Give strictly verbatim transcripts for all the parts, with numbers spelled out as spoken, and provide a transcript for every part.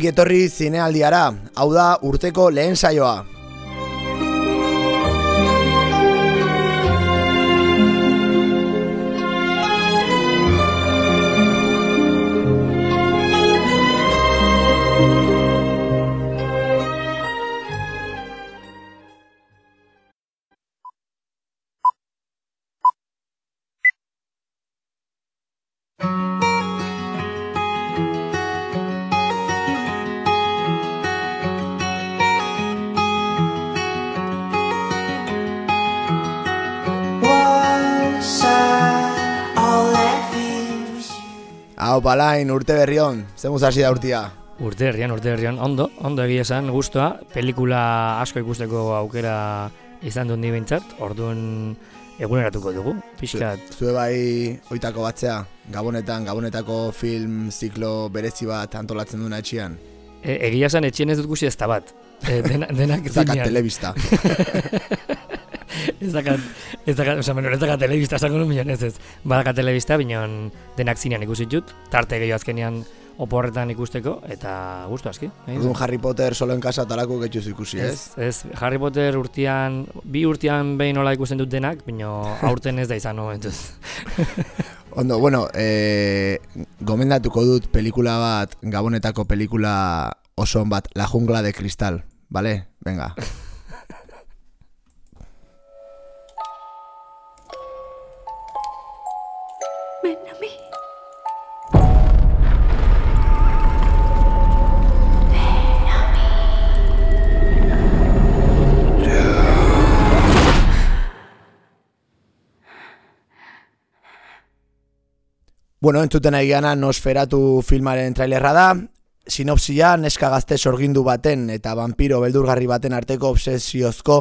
Ongi etorri zinealdiara, hau da urteko lehen saioa. Hau palain, urte berrion, zemuz hasi da urtia? Urte berrian, urte berrian, ondo, ondo egia esan, guztua, pelikula asko ikusteko aukera izan dut ni behintzat, orduan eguneratuko dugu, pixkat. Zue bai oitako batzea, Gabonetan, Gabonetako film ziklo berezi bat antolatzen duna etxian? E, egia esan etxien ez dut gusi ez da bat, e, dena, denak zinean. Zakat telebista. Ez dakat, ez dakat, oza, menor, ez dakat telebista esango nu minon, ez ez. Badakat telebista, bineon denak zinean ikusi dut, tarte gehiago azkenean oporretan ikusteko, eta gustu aski. Orduan Harry Potter solo en casa talako getxuz ikusi, ez? Ez, ez, Harry Potter urtean, bi urtean behin nola ikusten dut denak, bino aurten ez da izan momentuz. Ondo, bueno, eh, gomendatuko dut pelikula bat, Gabonetako pelikula oso bat, La jungla de cristal, vale? Venga. Bueno, entzuten ari gana Nosferatu filmaren trailerra da. Sinopsia, neska gazte sorgindu baten eta vampiro beldurgarri baten arteko obsesiozko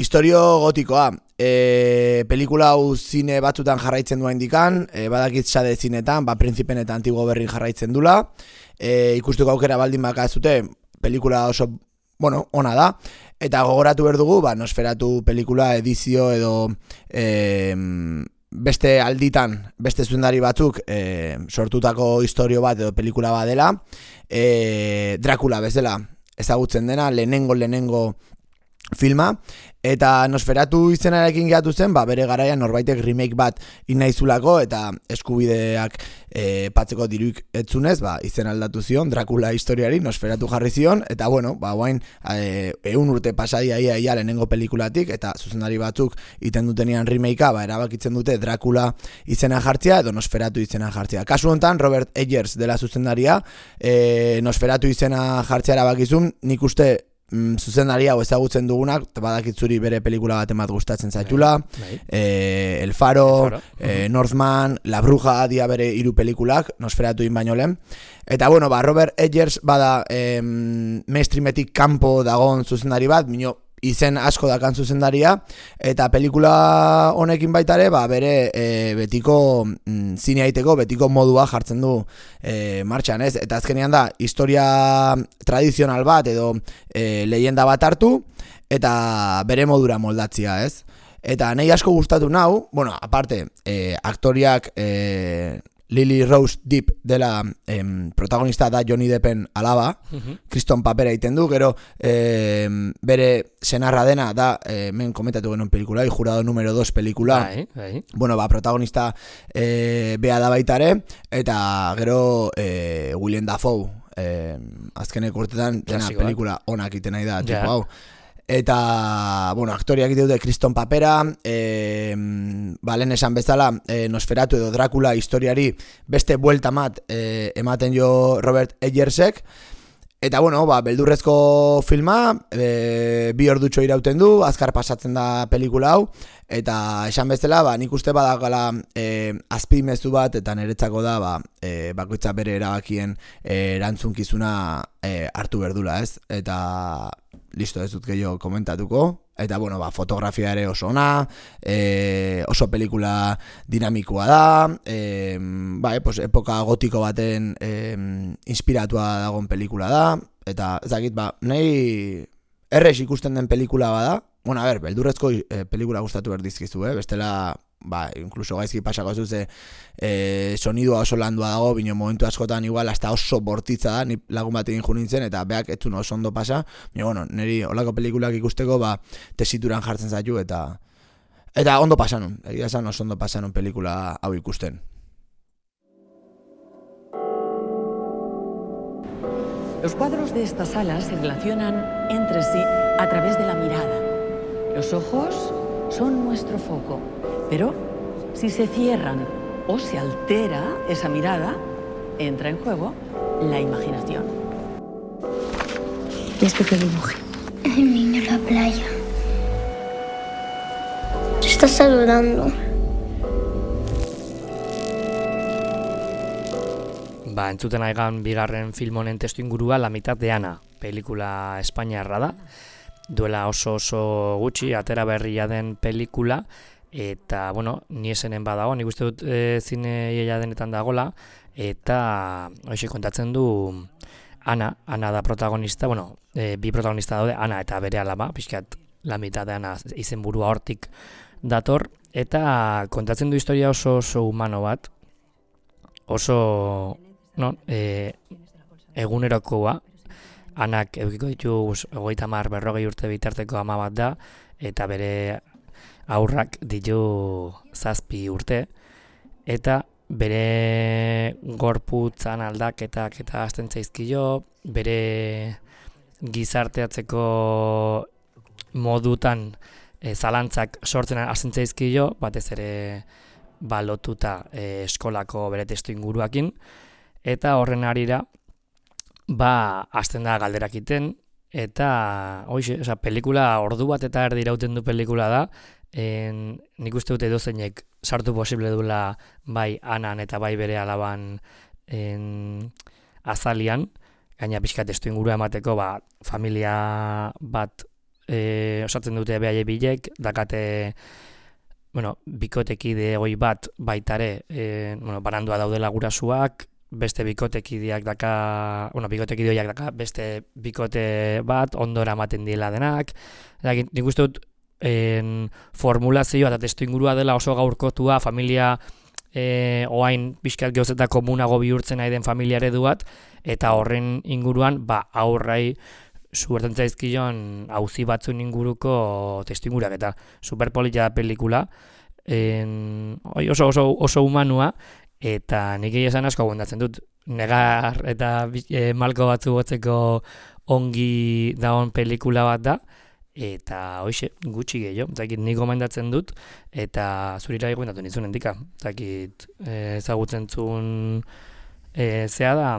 istorio gotikoa. E, pelikula hau zine batzutan jarraitzen dua indikan, e, badakit sade zinetan, ba, Prinzipen eta Antigo berrin jarraitzen dula. E, ikusteko aukera baldin baka ez dute, pelikula oso, bueno, ona da. Eta gogoratu behar dugu, ba, Nosferatu pelikula edizio edo E, beste alditan, beste zuzendari batzuk e, sortutako istorio bat edo pelikula bat dela, e, Dracula bezala ezagutzen dena, lehenengo lehenengo filma, eta Nosferatu izenarekin gehatu zen, ba, bere garaian norbaitek remake bat inaizulako eta eskubideak e, patzeko diruik etzunez, ba, izen aldatu zion, Dracula historiari Nosferatu jarri zion, eta bueno, ba, guain e, eun urte pasadia ia ia lehenengo pelikulatik, eta zuzendari batzuk iten dutenian remakea, ba, erabakitzen dute Dracula izena jartzea edo Nosferatu izena jartzea. Kasu honetan, Robert Eggers dela zuzendaria, e, Nosferatu izena jartzea erabakizun, nik uste Mm, zuzendari hau ezagutzen dugunak, badakitzuri bere pelikula bat emat gustatzen zaitula, eh, El Faro, El Faro. Eh, Northman, La Bruja dia bere hiru pelikulak, Nosferatu in baino lehen. Eta bueno, ba, Robert Eggers bada eh, mainstreametik kanpo dagon zuzendari bat, mino izen asko dakan zuzendaria, eta pelikula honekin baita ere, ba, bere e, betiko mm, zineaiteko, betiko modua jartzen du e, martxan, ez? Eta azkenean da, historia tradizional bat edo e, leyenda bat hartu, eta bere modura moldatzia, ez? Eta nahi asko gustatu nau, bueno, aparte, e, aktoriak e, Lily Rose Depp dela em, protagonista da Johnny Deppen alaba, uh-huh. Kriston papera egiten du, gero em, bere senarra dena da, eh, men komentatu genuen pelikula, jurado número dos pelikula, bai, bai. Bueno, ba, protagonista eh, bea da baitare, eta gero eh, Willem Dafoe, eh, azkenek urtetan dena pelikula onak iten nahi da, tipo hau. Eta, bueno, aktoriak dute Kriston papera, e, ba, lehen esan bezala, e, Nosferatu edo Dracula historiari beste buelta mat e, ematen jo Robert Eggersek. Eta, bueno, ba, beldurrezko filma, e, bi ordutxo irauten du, azkar pasatzen da pelikula hau, eta esan bezala, ba, nik uste badakala e, azpimezu bat, eta niretzako da, ba, e, bakoitza bere erabakien e, erantzunkizuna e, hartu berdula, ez? Eta listo, ez dut gehiago komentatuko. Eta, bueno, ba, fotografia ere oso ona, e, oso pelikula dinamikoa da, e, ba, e, pues, epoka gotiko baten e, inspiratua dagoen pelikula da, eta ezakit, ba, nahi errex ikusten den pelikula bada, bueno, a ber, beldurrezko e, pelikula gustatu behar dizkizu, eh? Bestela ba, inkluso gaizki pasako zuze e, sonidua oso landua dago, bino momentu askotan igual hasta oso bortitza da, ni lagun batekin jo nintzen, eta beak etzun oso ondo pasa, bino, bueno, niri olako pelikulak ikusteko, ba, tesituran jartzen zaitu, eta eta ondo pasanun, egia esan oso ondo pasanun pelikula hau ikusten. Los cuadros de esta sala se relacionan entre sí a través de la mirada. Los ojos son nuestro foco, pero si se cierran o se altera esa mirada, entra en juego la imaginación. ¿Y esto qué dibuje? El niño en la playa. Te está saludando. Ba, entzuten aigan bigarren film honen testuingurua La mitad de Ana, pelikula espainiarra da. Duela oso oso gutxi, atera berria den pelikula, eta, bueno, ni esenen badago, nik uste dut e, zine iaia denetan dagola, eta hoxe kontatzen du Ana, Ana da protagonista, bueno, e, bi protagonista daude, Ana eta bere alaba, pixkat La mitad de Ana izenburua hortik dator, eta kontatzen du historia oso oso humano bat, oso, no, e, egunerokoa. Anak edukiko ditu hogeita hamar berrogei urte bitarteko ama bat da, eta bere aurrak ditu zazpi urte, eta bere gorputzan aldaketak eta hasten zaizkio, bere gizarteatzeko modutan e, zalantzak sortzen hasten zaizkio, batez ere balotuta e, eskolako bere testu inguruakin, eta horren harira ba, hasten da galderak iten, eta, oixe, oza, pelikula ordu bat eta erdi irauten du pelikula da, en, nik uste dute dozeinek sartu posible duela bai Anan eta bai bere alaban en, azalian, gaina pixka testu ingurua emateko, ba, familia bat e, osatzen dute behaie bilek, dakate, bueno, bikotekide hoi bat baitare, e, bueno, barandua daudela gurasuak, beste bikotekideak daka, bueno, bikotekideoiak daka, beste bikote bat, ondora ematen diela denak. Nik uste dut, en, formulazioa eta testu ingurua dela oso gaurkotua, familia e, oain bizkat geuzeta komunago bihurtzen nahi den familia eredu bat, eta horren inguruan, ba, aurrai zuberten zaizkion auzi batzun inguruko testu inguruak, eta superpolitia da pelikula, en, oso, oso, oso humanua, eta nik esan asko gondatzen dut, negar eta e, malko batzu gotzeko ongi dagoen pelikula bat da, eta hoxe, gutxi gehiago, zakit nik gomendatzen dut, eta zurira egondatu nizun endika, zakit e, ezagutzen zuen e, zea da,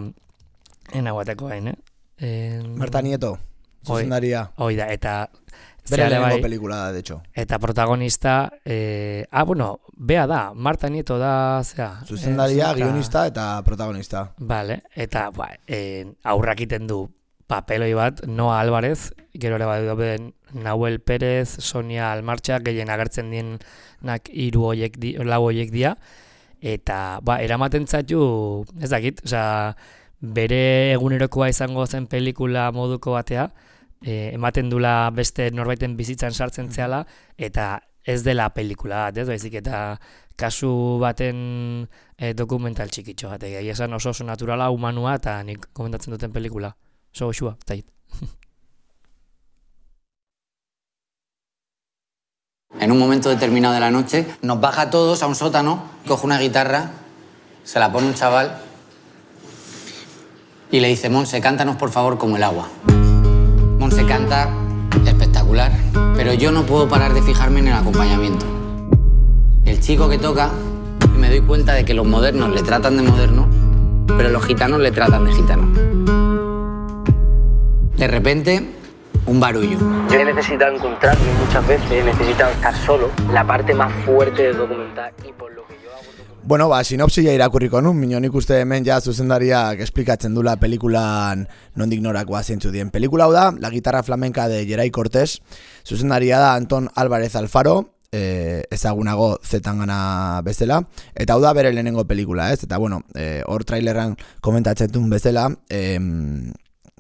enaguateko hain, eh? En... Marta Nieto, zuzendaria. Hoi da, eta bere lehenengo pelikula da, de hecho. Eta protagonista, eh, ah, bueno, bea da, Marta Nieto da, zera. Zuzendaria, eh, guionista eta protagonista. Vale, eta ba, eh, aurrak iten du papeloi bat, Noa Álvarez, gero ere bat Nahuel Pérez, Sonia Almartxa, gehien agertzen dienak hiru hoiek di, lau hoiek dia, eta ba, eramaten zaitu, ez dakit, osea, bere egunerokoa izango zen pelikula moduko batea, E, ematen dula beste norbaiten bizitzan sartzen zehala, eta ez dela pelikula bat, ez baizik, eta kasu baten e, dokumental txikitxo bat, egia esan oso oso naturala, humanua, eta nik komentatzen duten pelikula. Oso goxua, zait. En un momento determinado de la noche, nos baja a todos a un sótano, coge una guitarra, se la pone un chaval y le dice, Monse, cántanos por favor como el agua. Monse canta espectacular, pero yo no puedo parar de fijarme en el acompañamiento. El chico que toca, me doy cuenta de que los modernos le tratan de moderno, pero los gitanos le tratan de gitano. De repente, un barullo. Yo he necesitado encontrarme muchas veces, he necesitado estar solo, la parte más fuerte del documental, y por lo que yo hago... Bueno, ba, sinopsia irakurriko nun, minon ikuste hemen ja zuzendariak esplikatzen dula pelikulan nondik norakoa zeintzu dien. Pelikula hau da, La guitarra flamenca de Geray Cortés, zuzendaria da Anton Álvarez Alfaro, eh, ezagunago Zetangana bezala, eta hau da bere lehenengo pelikula, ez? Eta bueno, eh, hor trailerran komentatzen duen bezala, eh,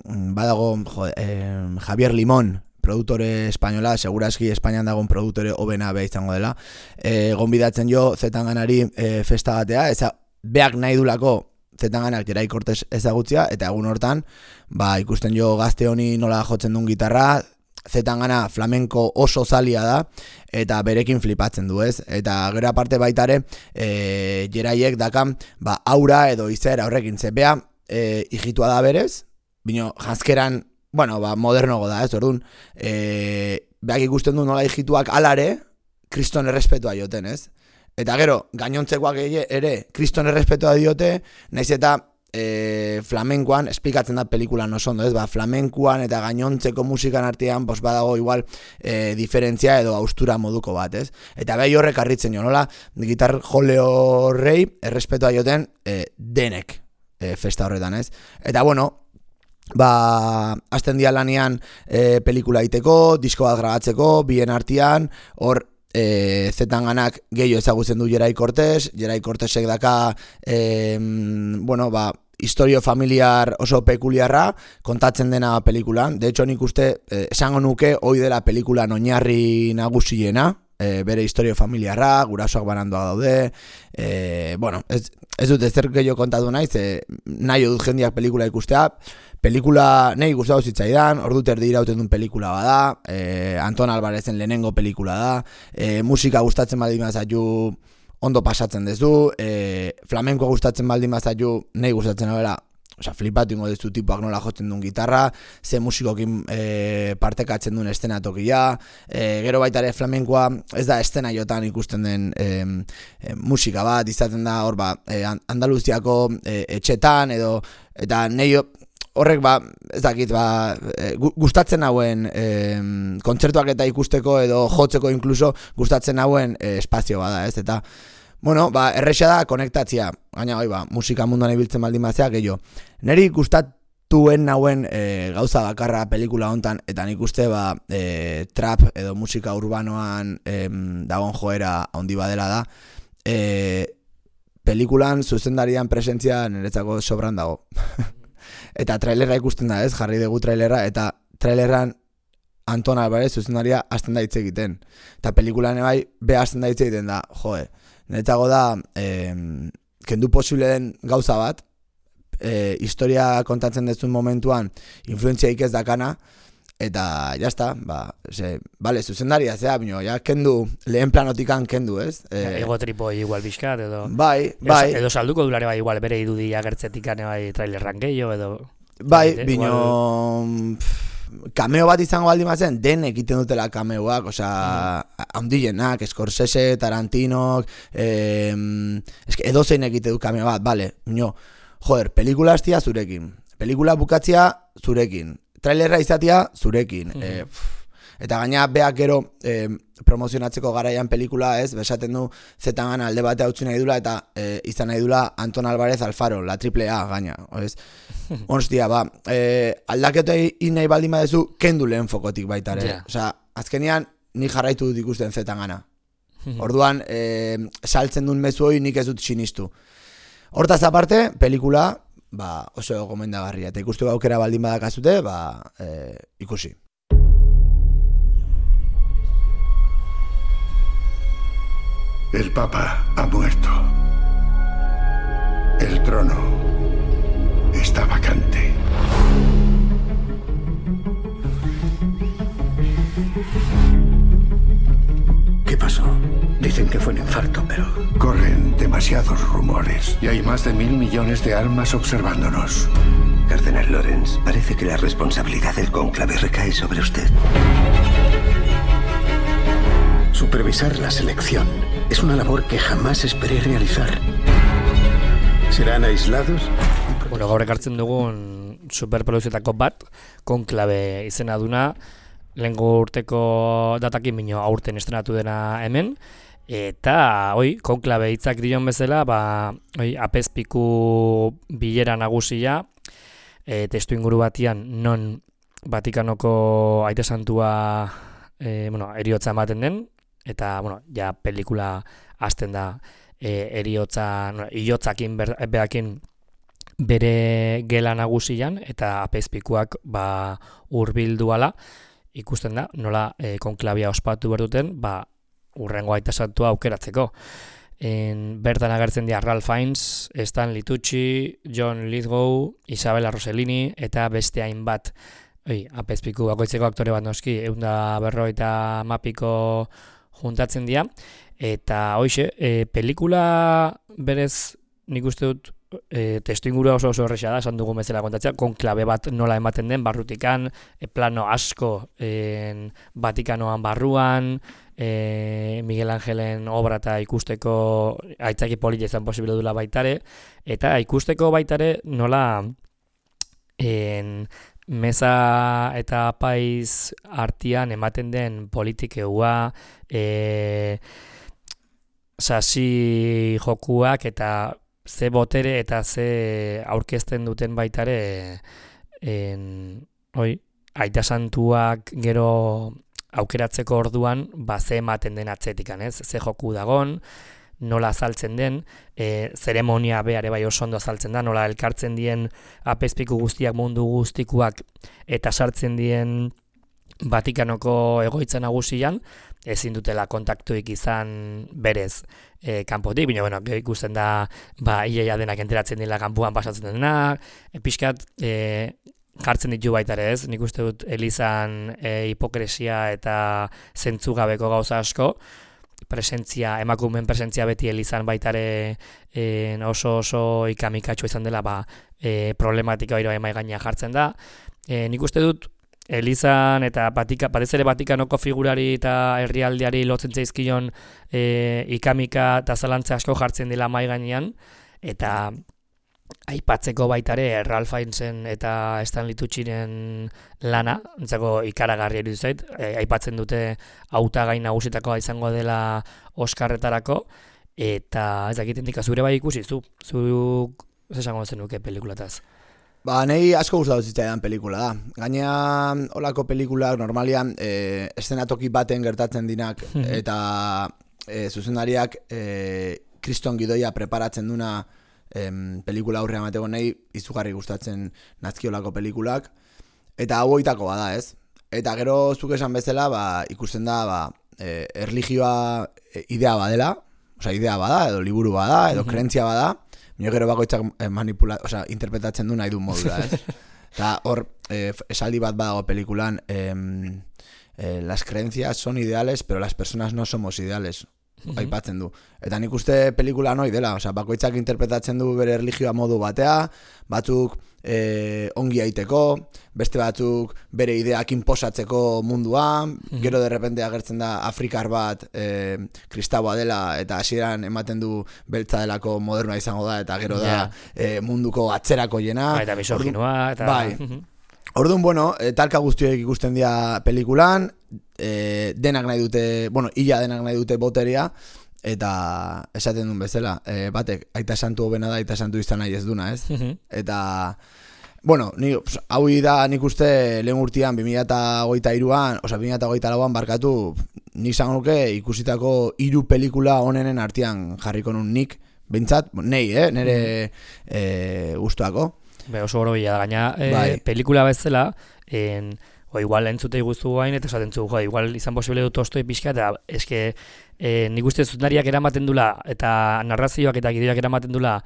badago jo, eh, Javier Limón produktore espainola, segurazki Espainian dagoen produktore hobena beha izango dela. E, gonbidatzen jo Zetanganari e, festagatea, eza beak nahi dulako Zetanganak Jerai Cortes ezagutzia, eta egun hortan, ba, ikusten jo gazte honi nola jotzen duen gitarra, Zetangana flamenko oso zalia da, eta berekin flipatzen du, ez? Eta gero aparte baitare, e, Jeraiek dakan, ba, aura edo izaera horrekin zepea, e, hijitua da berez, bino janzkeran, bueno, ba, modernogo da, ez? Orduan, e, beak ikusten du nola hijituak alare, kriston errespetua joten, ez? Eta gero, gainontzekoak ere, kriston errespetua diote, naiz eta e, flamenkoan, esplikatzen da pelikulan oso ondo, ez? Ba, flamenkoan eta gainontzeko musikan artean, bos badago igual e, diferentzia edo austura moduko bat, ez? Eta behi horrek arritzen jo, nola, gitar jole horrei, errespetua joten e, denek e, festa horretan, ez? Eta bueno, ba, azten dia lanian e, pelikula iteko, disko bat grabatzeko, bien artean, hor, E, Zetanganak gehiago ezagutzen du Jerai Cortes, Jerai Cortesek daka e, bueno, ba, historio familiar oso pekuliarra kontatzen dena pelikulan. De hecho, nik uste e, esango nuke hoi dela pelikulan oinarri nagusiena, e, bere historio familiarra, gurasoak banandoa daude, e, bueno, ez, ez dut ezer gehiago kontatu naiz, e, nahi dut jendiak pelikula ikustea. Pelikula nahi gustatu zitzaidan, ordu terdi irauten duen pelikula bada, eh, Anton Alvarezen lehenengo pelikula da, eh, musika gustatzen baldin bazaitu ondo pasatzen dezu, eh, flamenkoa gustatzen baldin bazaitu nahi gustatzen abela, osea, flipatu ingo dezu tipuak nola jotzen duen gitarra, ze musikokin eh, partekatzen duen estenatokia, eh, gero baita ere flamenkoa ez da estena jotan ikusten den eh, eh, musika bat, izaten da hor ba, eh, Andaluziako eh, etxetan edo, eta nahi horrek ba, ez dakit, ba, gustatzen hauen e, kontzertuak eta ikusteko edo jotzeko inkluso gustatzen hauen e, espazio bada, ez? Eta, bueno, ba, erresa da konektatzia, gaina, oi, ba, musika munduan ibiltzen baldin batzea, gehiago. Neri gustatuen hauen e, gauza bakarra pelikula hontan, eta nik uste, ba, e, trap edo musika urbanoan e, dagoen joera handi badela da, e, pelikulan zuzendarian presentzia niretzako sobran dago. Eta trailerra ikusten da, ez? Jarri dugu trailerra, eta trailerran Anton Alvarez zuzendaria hasten da hitz egiten. Eta pelikulan ebai, be hasten da hitz egiten da, joe. Niretzako da, eh, kendu posible den gauza bat, eh, historia kontatzen dezun momentuan, influentziaik ez dakana, eta jazta, ba, ze, bale, zuzendaria zea, bino, ja, kendu, lehen planotikan kendu, ez? E, Ego tripo igual bizkat, edo... Bai, bai. Edo, edo salduko dulare bai, igual, bere idudi agertzetikane bai trailerran gehiago, edo... Bai, bino... Igual... Kameo bat izango baldin bazen, den egiten dutela kameoak, osea, mm. handienak, Scorsese, Tarantinok, eh, eske edozein egite du kameo bat, bale, bino, joder, pelikula hastia zurekin, pelikula bukatzia zurekin, trailerra izatea zurekin. Mm. E, eta gaina beak gero e, promozionatzeko garaian pelikula, ez, besaten du Zetangana alde batea utzi nahi dula eta e, izan nahi dula Anton Alvarez Alfaro, la triple A gaina, ez? Hostia, ba, e, aldaketa nahi baldin badezu kendu lehen fokotik baita ere. Yeah. Osea, azkenean ni jarraitu dut ikusten Zetangana. Orduan, e, saltzen duen mezu hori nik ez dut sinistu. Hortaz aparte, pelikula ba, oso gomendagarria, eta ikustu aukera baldin badakazute, ba, e, ikusi. El Papa ha muerto. El trono está vacante. ¿Qué pasó? Dicen que fue un infarto, pero... Corren demasiados rumores y hay más de mil millones de almas observándonos. Cardenal Lorenz, parece que la responsabilidad del cónclave recae sobre usted. Supervisar la selección es una labor que jamás esperé realizar. ¿Serán aislados? Bueno, gaur ekartzen dugun superprodukziotako bat, konklabe izena duna, lehengo urteko datakin bino aurten estrenatu dena hemen, eta, oi, konklabe hitzak dion bezala, ba, oi, apezpiku bilera nagusia, e, testu inguru batian, non Vatikanoko aite santua, e, bueno, eriotza ematen den, eta, bueno, ja pelikula hasten da, e, eriotza, no, iotzakin behakin bere gela nagusian, eta apezpikuak, ba, hurbildu ala, ikusten da, nola e, konklabia ospatu behar duten, ba, urrengo aita santua aukeratzeko. En, bertan agertzen dira Ralph Fiennes, Stanley Tucci, John Lithgow, Isabella Rossellini, eta beste hainbat, oi, apezpiku bakoitzeko aktore bat noski, eunda berroita mapiko juntatzen dira, eta hoixe, e, pelikula berez nik uste dut e, testu ingurua oso oso erresa da, esan dugun bezala kontatzea, konklabe bat nola ematen den, barrutikan, e, plano asko en, Vatikanoan barruan, e, Miguel Angelen obra eta ikusteko aitzaki polita izan posible dula baitare, eta ikusteko baitare nola en, meza eta apaiz artian ematen den politikeua, e, sasi jokuak eta ze botere eta ze aurkezten duten baitare en, oi, aita santuak gero aukeratzeko orduan ba ze ematen den atzetikan, ez? Ze joku dagon, nola azaltzen den, e, zeremonia beare bai oso ondo azaltzen da, nola elkartzen dien apezpiku guztiak mundu guztikuak eta sartzen dien Vatikanoko egoitza nagusian, ezin dutela kontaktuik izan berez e, kanpotik, bino, bueno, ikusten da, ba, iaia denak enteratzen dela kanpuan pasatzen denak, e, pixkat, e, jartzen ditu baita ere ez, nik uste dut Elizan e, hipokresia eta zentzugabeko gauza asko, presentzia, emakumeen presentzia beti Elizan baitare e, oso oso ikamikatxo izan dela ba, e, problematika hori emai gaina jartzen da. E, nik uste dut Elizan eta batika, batez ere Vatikanoko figurari eta herrialdeari lotzen zaizkion e, ikamika eta zalantza asko jartzen dela mai gainean, eta aipatzeko baitare Ralph Fiennesen eta Stanley Tucciren lana, entzako ikaragarri iruditu zait, e, aipatzen dute hautagai nagusitakoa izango dela Oscarretarako, eta ez dakit indika zure bai ikusi, zu, zuk esango zenuke pelikulataz. Ba, nahi asko gustatu zitzaidan pelikula da. Gainea, olako pelikulak normalian e, eszenatoki baten gertatzen dinak, eta e, zuzendariak e, kriston gidoia preparatzen duna Em, pelikula aurrean mateko nahi izugarri gustatzen nazkiolako pelikulak, eta hau oitako bada, ez? Eta gero zuk esan bezala, ba, ikusten da, ba, e, erlijioa idea badela, osea, idea bada, edo liburu bada, edo mm-hmm. krentzia bada, mino gero bakoitzak manipula, osea, interpretatzen du nahi du modura, ez? Eta hor, e, esaldi bat badago pelikulan, em, e, las creencias son ideales, pero las personas no somos ideales. Aipatzen du. Eta nik uste pelikula noi dela, osea, bakoitzak interpretatzen du bere erlijioa modu batea, batzuk e, ongi aiteko, beste batzuk bere ideak inposatzeko munduan, mm-hmm. gero de repente agertzen da Afrikar bat e, kristaua dela, eta hasieran ematen du beltza delako modernoa izango da, eta gero yeah. da e, munduko atzerako jena. Ba, eta misoginoa, eta... Bai. Orduan, bueno, e, talka guztiek ikusten dira pelikulan, e, denak nahi dute, bueno, illa denak nahi dute boteria, eta esaten duen bezala, e, batek, aita santu hobena da, aita santu izan nahi ez duna, ez? Eta, bueno, ni, hau da nik uste lehen urtean, bi mila hogeita hiruan, oza, bi mila hogeita lauan barkatu, nik izan nuke ikusitako hiru pelikula onenen artean jarriko nun nik, bintzat, nei, eh, nire e, gustuako. Be, oso goro bila da, gaina e, bai. Pelikula bezala, en, o igual entzute iguzu gain, eta esaten zu, jo, igual izan posible dut ostoi pixka, eta eske e, nik uste zuzendariak eramaten dula, eta narrazioak eta gideoak eramaten dula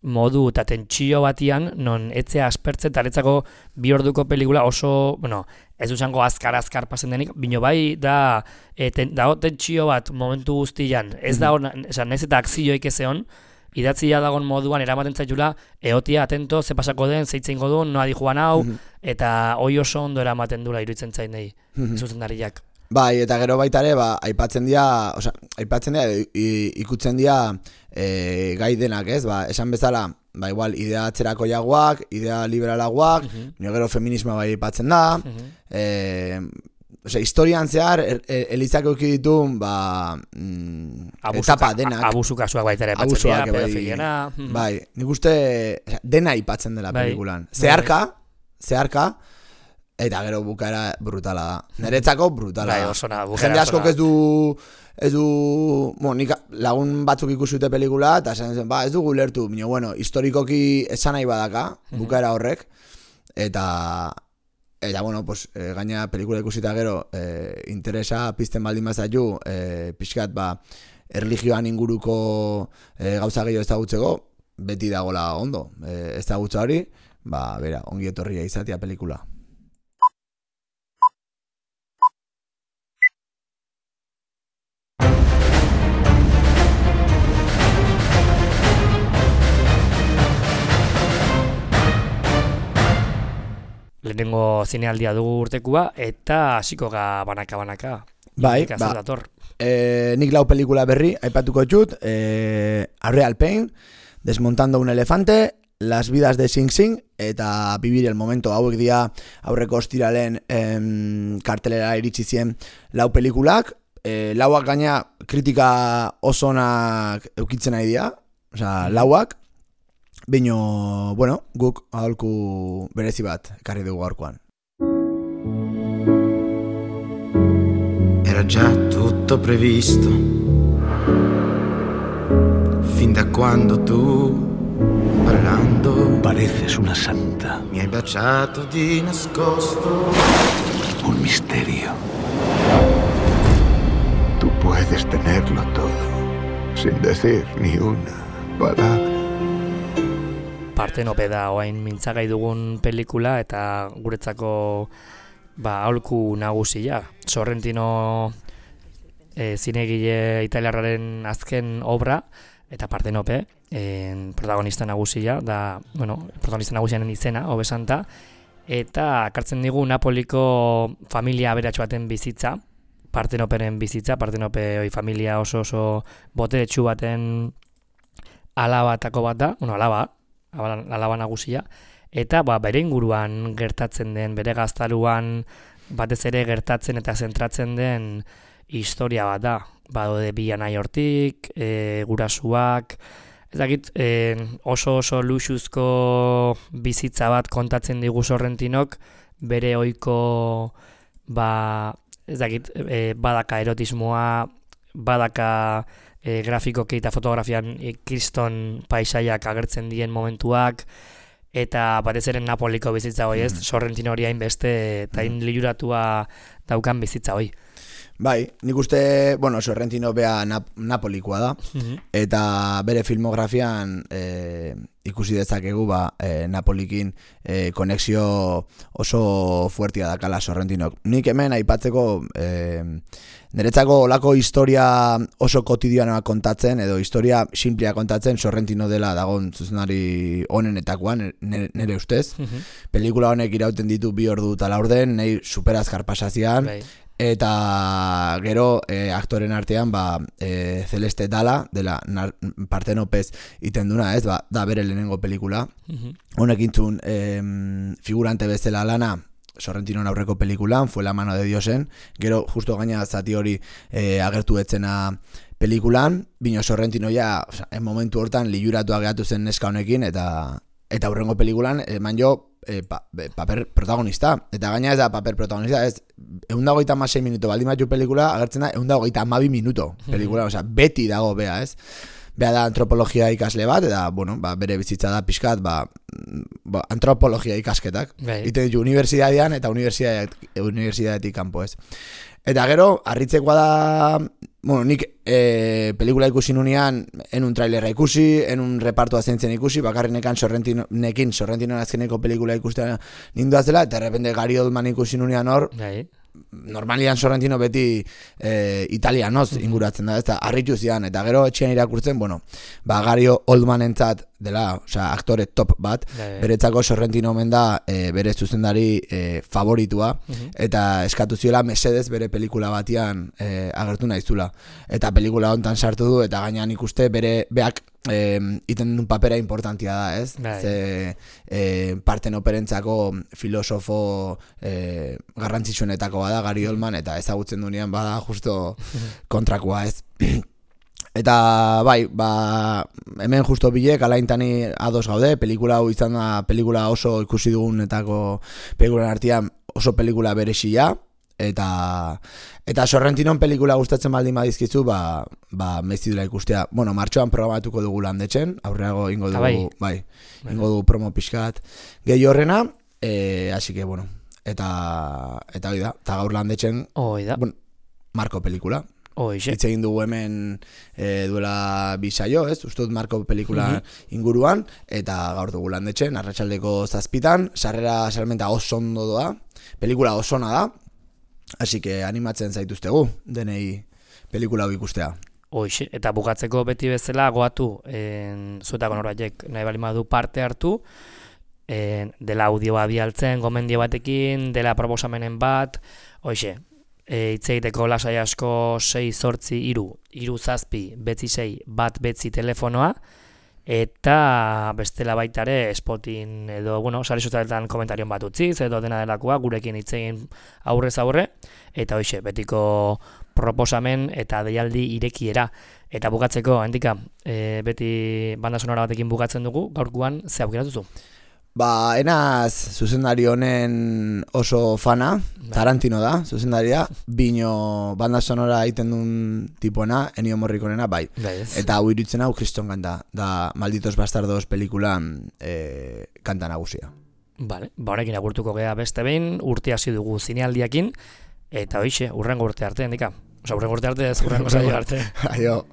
modu eta tentsio batian, non etzea aspertzen, eta netzako bi orduko pelikula oso, bueno, ez duzango azkar-azkar pasen denik, bino bai da, e, ten, dago tentsio bat momentu guztian, ez da, esan, ez eta akzioik ezeon, idatzia dagon moduan eramaten zaitula, eotia atento, ze pasako den, zeitzen godun, noa di joan hau, mm-hmm. eta hoi oso ondo eramaten dula iruditzen zain nahi, mm-hmm. zuzendariak. Bai, eta gero baita ere, ba, aipatzen dira, osea, aipatzen dira, ikutzen dira e, gai denak, ez? Ba, esan bezala, ba, igual, idea atzerako jaguak, idea liberalaguak, mm-hmm. gero feminismoa bai aipatzen da, mm-hmm. e, Osea, historian zehar, er, er, Elizak euki ditu, ba, mm, etapa denak. Abusu kasuak baita ere aipatzen dira, pedofiliana. Bai, nik uste dena aipatzen dela bai. Pelikulan. Zeharka, zeharka, eta gero bukaera brutala da. Niretzako brutala bai, da. Osona, jende askok ez du, ez du, bueno, nik lagun batzuk ikusi dute pelikula, eta esan zen, ba, ez dugu lertu, baina, bueno, historikoki esan nahi badaka, bukaera horrek, eta... Eta, bueno, pues, e, gaina pelikula ikusita gero, e, interesa pizten baldin bazaitu, e, pixkat, ba, erlijioan inguruko e, gauza gehiago ezagutzeko, beti dagola ondo. E, ezagutza hori, ba, bera, ongi etorria izatea pelikula. Lehenengo zinealdia dugu urtekua, eta hasiko ga banaka-banaka. Bai, ba, e, nik lau pelikula berri, aipatuko txut, e, A Real Pain, Desmontando un elefante, Las vidas de Sing Sing, eta Vivir el momento, hauek dira aurreko ostiralen em, kartelera iritsi zien lau pelikulak, e, lauak gaina kritika oso onak eukitzen nahi dira, osea, lauak, Bino, bueno, guk aholku berezi bat ekarri dugu gaurkoan. Era già tutto previsto, fin da quando tu, parlando, pareces una santa. Mi hai baciato di nascosto. Un misterio. Tú puedes tenerlo todo, sin decir ni una palabra. Partenope da oain mintzagai dugun pelikula eta guretzako ba aholku nagusia. Sorrentino e, zinegile italiarraren azken obra eta Partenope en protagonista nagusia da, bueno, protagonista nagusianen izena, hobesanta, eta akartzen digu Napoliko familia aberatsu baten bizitza, Partenoperen bizitza, Partenope oi familia oso oso boteretsu baten alabatako bat da, bueno, alaba, alaba nagusia, eta ba, bere inguruan gertatzen den, bere gaztaluan batez ere gertatzen eta zentratzen den historia bat da. Badaude bi anai hortik, e, gurasuak, ez dakit, e, oso oso luxuzko bizitza bat kontatzen digu Sorrentinok, bere ohiko ba, ez dakit, e, badaka erotismoa, badaka E, grafikoki eta fotografian e, kriston paisaiak agertzen dien momentuak, eta batez ere Napoliko bizitza hoi ez, mm. Sorrentino hori hainbeste eta hain liuratua daukan bizitza hoi. Bai, nik uste, bueno, Sorrentino bea Nap- Napolikoa da, mm-hmm. eta bere filmografian e, ikusi dezakegu ba, e, Napolikin e, konexio oso fuertia dakala Sorrentinok. Nik hemen aipatzeko e, niretzako olako historia oso kotidianoa kontatzen, edo historia simplea kontatzen Sorrentino dela dagon zuzenari honenetakoan, nire ustez. Mm-hmm. Pelikula honek irauten ditu bi ordu eta laurden, nahi superazkar pasazian, bai. Eta gero e, aktoren artean ba, e, Celeste Dala dela nar, Partenopez iten duna, ez, ba, da bere lehenengo pelikula. Mm-hmm. Honek intzun e, figurante bezala lana Sorrentinon aurreko pelikulan, Fue la mano de Diosen, gero justo gaina zati hori e, agertu etzena pelikulan, bino Sorrentino ja, o sea, en momentu hortan liuratuak gehatu zen neska honekin, eta eta aurrengo pelikulan eman jo E, pa, paper protagonista, eta gaina ez da paper protagonista, ez, ehun eta hogeita hamasei minuto baldin batu pelikula, agertzen da ehun eta hogeita hamabi minuto pelikula, mm-hmm. Osea, beti dago bea, ez, bea da antropologia ikasle bat, eta, bueno, ba, bere bizitza da pixkat, ba, ba antropologia ikasketak, ite ditu unibertsitatean eta unibertsitatetik kanpo, ez. Eta gero, harritzekoa da, bueno, nik e, pelikula ikusi nunean, enun trailerra ikusi, enun repartoa zentzen ikusi, bakarrinekan Sorrentinekin, Sorrentinon azkeneko pelikula ikustea ninduaz dela, eta errepende Gary Oldman ikusi nunean hor, normalian Sorrentino beti e, italianoz inguratzen da, ez da, harritu zian, eta gero etxean irakurtzen, bueno, ba, Gary Oldman entzat dela, osea, aktore top bat, beretzako Sorrentino omen da e, bere zuzendari e, favoritua, uh-huh. eta eskatu ziola mesedez bere pelikula batian e, agertu naizula, eta pelikula hontan sartu du, eta gainean ikuste bere beak E, iten duen papera importantia da, ez? Right. Ze e, Partenoperentzako filosofo e, garrantzitsuenetako bada Gary Oldman, eta ezagutzen duenean bada justo kontrakoa, ez? Eta bai, ba, hemen justo bilek alaintani ados gaude, pelikula hau izan da pelikula oso ikusi dugunetako pelikulan artean oso pelikula berezia, eta eta Sorrentinon pelikula gustatzen baldin badizkizu, ba ba mezidula ikustea. Bueno, martxoan programatuko dugu Landetzen, aurreago ingo dugu, bai, bai, ingo dugu promo pixkat gehi horrena, eh, así que bueno, eta eta hori da, eta gaur landetxen hori da. Bueno, Marko pelikula. Hoixe. Hitz egin dugu hemen e, duela bi saio, ez? Uste dut Marko pelikula mm-hmm. inguruan, eta gaur dugu landetxen, arratsaldeko zazpitan, sarrera salmenta oso ondo doa, pelikula oso ona da, así que animatzen zaituztegu, denei pelikula hau ikustea. Hoixe, eta bukatzeko beti bezala goatu, en, zuetako noraiek nahi bali madu parte hartu, en, dela audioa bialtzen, gomendio batekin, dela proposamenen bat, hoixe, e, itzeiteko lasai asko sei zortzi iru, iru zazpi, betzi sei, bat betzi telefonoa, eta bestela baitare Spotin edo, bueno, sare sozialetan komentarion bat utziz, edo dena delakoa, gurekin itzegin aurrez aurre, eta hoixe, betiko proposamen eta deialdi irekiera. Eta bukatzeko, handika, e, beti banda sonora batekin bukatzen dugu, gaurkoan ze aukeratuzu? Ba, enaz zuzendari honen oso fana, Tarantino da, zuzendaria, bino banda sonora egiten duen tipuena, Ennio Morriconena, bai. Eta hau iruditzen hau Kriston kanta, da Malditos Bastardos pelikulan e, kanta nagusia. Vale, ba horrekin agurtuko gea beste behin, urte hasi dugu zinealdiakin, eta hoixe, urrengo urte arte, handika. Osa, urrengo urte arte ez, urrengo saio arte. Aio.